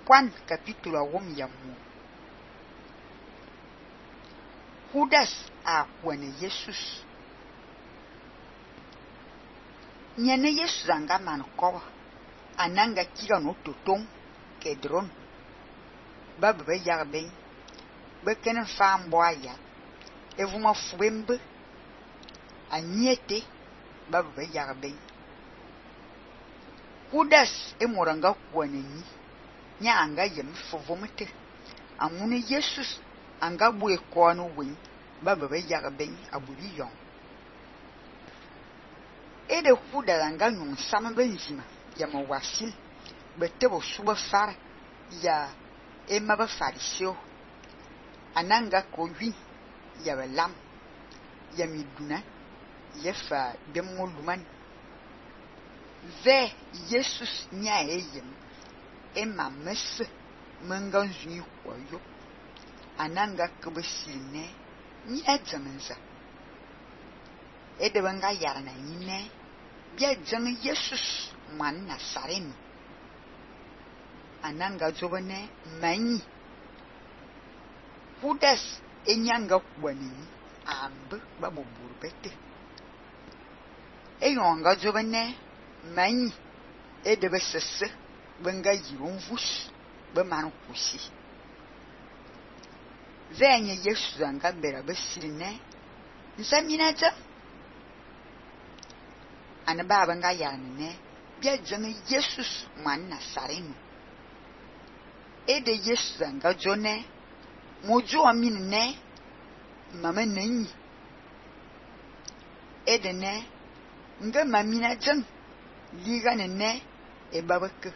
Juan capítulo 1 ya mu. Judas a kwene Jesus. Nyene Jesus anga man koba. Ananga kiga no totong kedron. Babe yarben. Bekenen fam boya. Evuma fwembe. Anyete babe yarben. Judas moranga kwene ni. Nya anga yem fovomete. Amune Jesus anga bue kono wen babe yarben abuli yon. Ede Judas anga nyum sama benzima ya mawasil betebo suba far ya emaba fariseo ananga kowi ya belam ya miduna yefa demoluman ve Jesus nya eyem ema mes mengan zuni koyo ananga kubesine nya dzamenza ede banga yarna yine bia dzang Jesus man Nazareni ananga zobane manyi Judas enyanga kwani ambe babo burbete eyonga zobane manyi ede besese benga yirunvus be man kusi venye Jesus anga bera besirine nsaminaja ana baba nga yarne bia dzang Jesus man Nazareni ede Jesus anga jone mojo aminne mama nanyi ede ne nga mamina jang liga ne e babake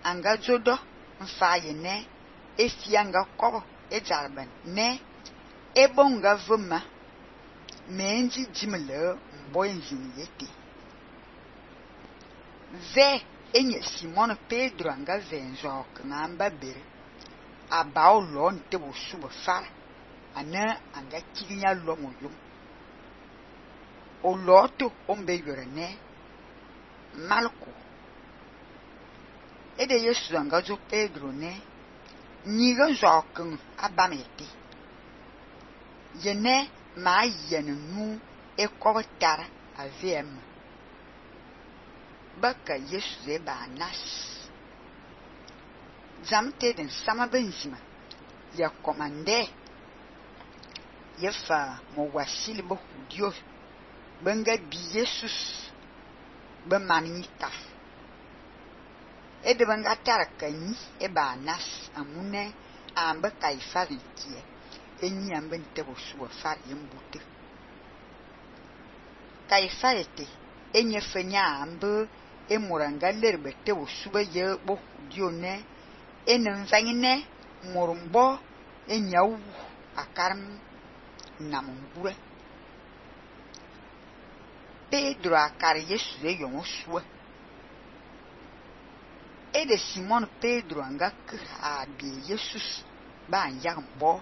anga jodo mfaye ne efianga kobo e jarban ne e bonga vuma menji jimle mboyenjin yete ve enye Simon Pedro anga venjo kanga bere abao lon te bo suba far ana anga kinya lo moyo o loto ombe yorene malko ede Yesu anga jo Pedro ne nyiga jokin abamete yene ma yenu e kotar avem baka Yesu ze ba nas zamte den sama benzima ya komande yefa mo wasili bo hudio benga bi Jesus be manita ede benga tarakani e ba nas amune ambe kaifari kie enyi ambe ntebo suwa far yembute kaifarete enye fenya ambe emuranga lerbe tebo suba ye bo hudio ne enenvangine murumbo enyawu akaram namungure Pedro akar Yesu de yongosua ede Simon Pedro anga abi Jesus ba nyambo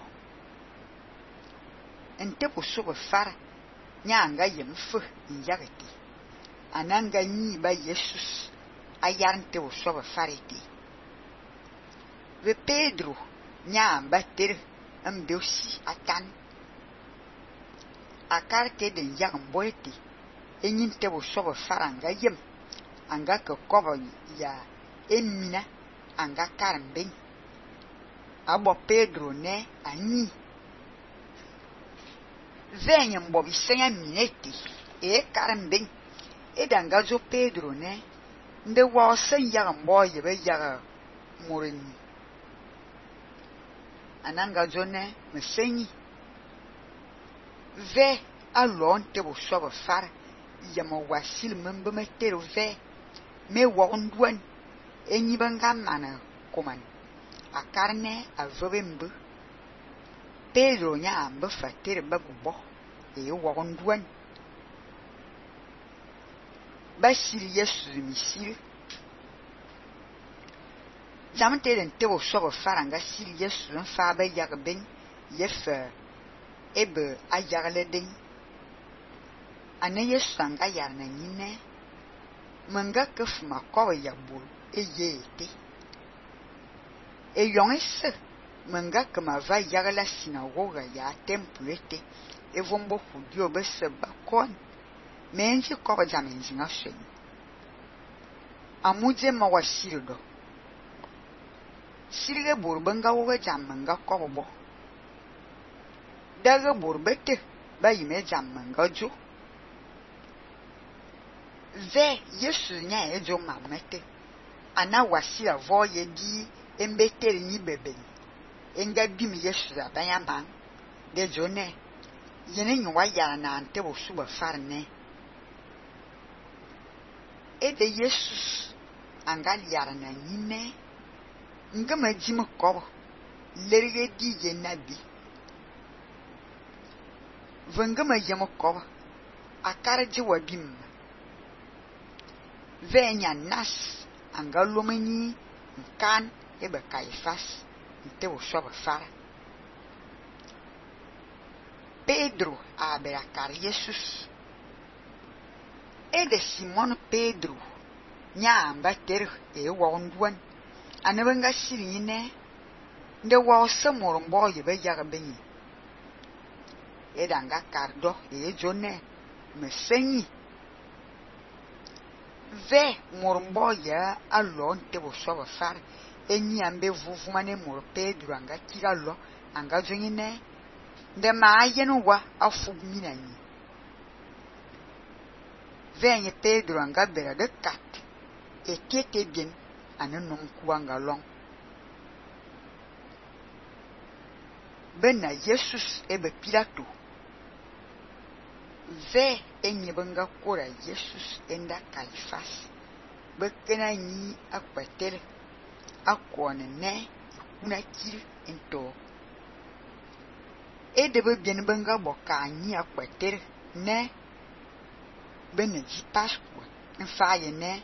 ente poso fara nyanga yemfu nyagete ananga nyi ba Jesus ayarte poso farete ve Pedro nyamba ter ambeusi atan akarte de yambo ete enyinte poso faranga yem anga kobo ya emina anga karmben abo Pedro ne anyi venye mbobi senya mineti e karmben edanga zo Pedro ne nde wa senya mbo yebe ya morin ananga zo ne mesenyi ve alon te bo so far ya mo wasil membe metero ve me wondwan enyi banga mana koman akarne avobembe Pedro nya ambe fatere babubo e wondwan basiri Yesu misiri zamte den tebo so faranga siri Yesu fa ba yagben yefa ebe ayagle den ane Yesu anga yarna nyine manga kefuma ko ya bul eyete yon esse menga que ma va yaga la synagogue ya temple ete evombo judio bese bakon menji ko jamenji nga shen amuje ma wasirdo sirge burbenga woga jamanga ko bo daga burbete ba yime jamanga jo ve yesu nya ejo mamete ana wasira vo ye di embeteri ni bebe enga bim yesu abanya man de jone yene nywa ya na ante bo suba farne e de yesus anga yara na nyine ngama jim ko lerige di je nabi vangama yemo ko akara ji wa bim venya nas anga lomani kan ebe Caifás nte o soba fara Pedro abera car Jesus e de Simon Pedro nya ambater e wonduan anabanga sirine nde wa samorombo yebe yaga benyi e danga cardo e jone mesenyi ve morombo ya alon te o soba fara enyi ambe vuvumane mor Pedro anga kiralo anga jonyine nde ma yenu wa afugmina nyi venye Pedro anga bera de kat ekete bien anenom kuanga long bena Jesus ebe Pilato ve enyi benga kora Jesus enda Caifás bekena nyi akwatere akwane ne kuna kiri ento edebe bien benga boka anyi akwatere ne beneji Pascua mfaye ne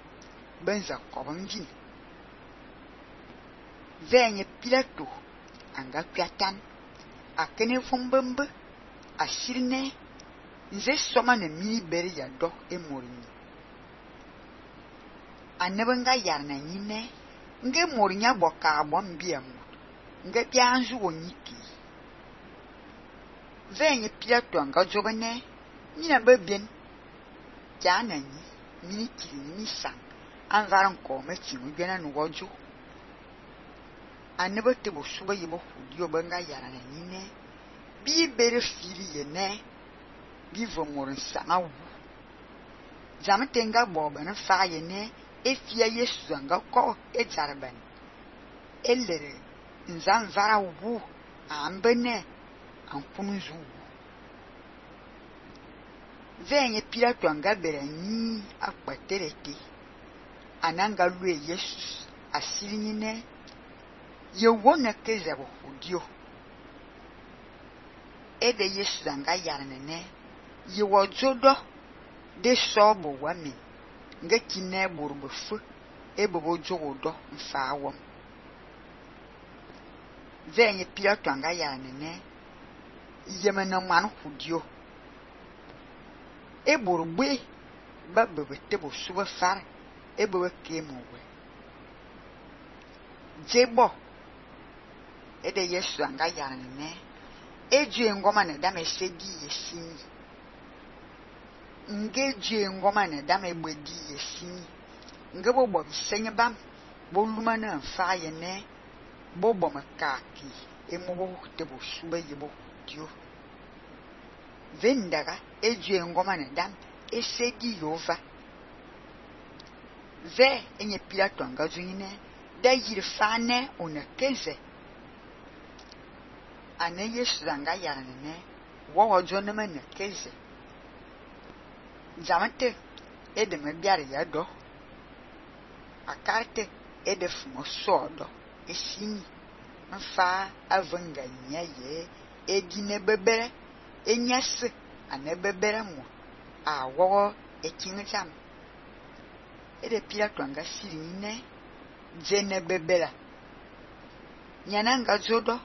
benza kobonjin venye Pilato anga kwatan akene fumbembe asirne nze soma ne mini beri ya do emorini anebenga yarna nyine nge morinya boka abom biamu nge bianzu wonyiki venye Pilato anga jobene nyina bebien jana nyi mini kiri ni sang anvaran ko mechi mugena no wojo anebete bo suba yibo hudio benga yarana nyine bi bere fili yene bi vomorin sanga wu jamtenga boba fa yene efia Yesu anga ko ejarban elere nzan vara wu ambene ankunzu venye Pilato anga bera nyi akpaterete ananga lue Jesus asirinine yewona kezabo hudio ede Yesu anga yarnene yewojodo de sobo wami nga kine burbufu ebobo jogodo mfawom venye Pilato anga yarnene yemena man hudio eburugbe babebe tebo suba far ebebe kemowe jebo ede Yesu anga yarnene eje ngoma na dame sedi yesini ngeje ngoma na dame gbedi yesini ngebo bo bisenye bam boluma na mfa yene bobo makaki emobo tebo suba yebo dio vendaga eje ngoma na dam esedi yova ve enye Pilato anga zuine da yirfane onakeze ane Yesu anga yarnene wo jona mena keze jamante edeme biare ya do akarte edefumo sodo esini mfa avanga nyaye edine bebere enyase ane bebere mo awo ekincham ede Pilato anga sirine jene bebera nyananga jodo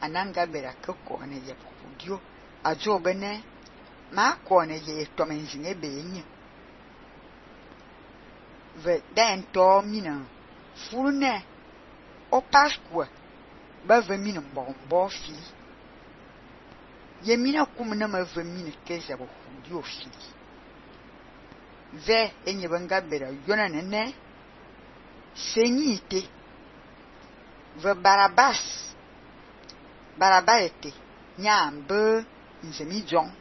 ananga bera koko ne ye podio ajobene ma ko ne ye tomenjine benye ve den to mina furne o Pascua ba ve mine mbombo fili. Ye mina kum na ma ve mine keze bo hudi o fili. Ve enye banga bera yona nene senyi ite. Ve Barabas ete nyambe nzemi jong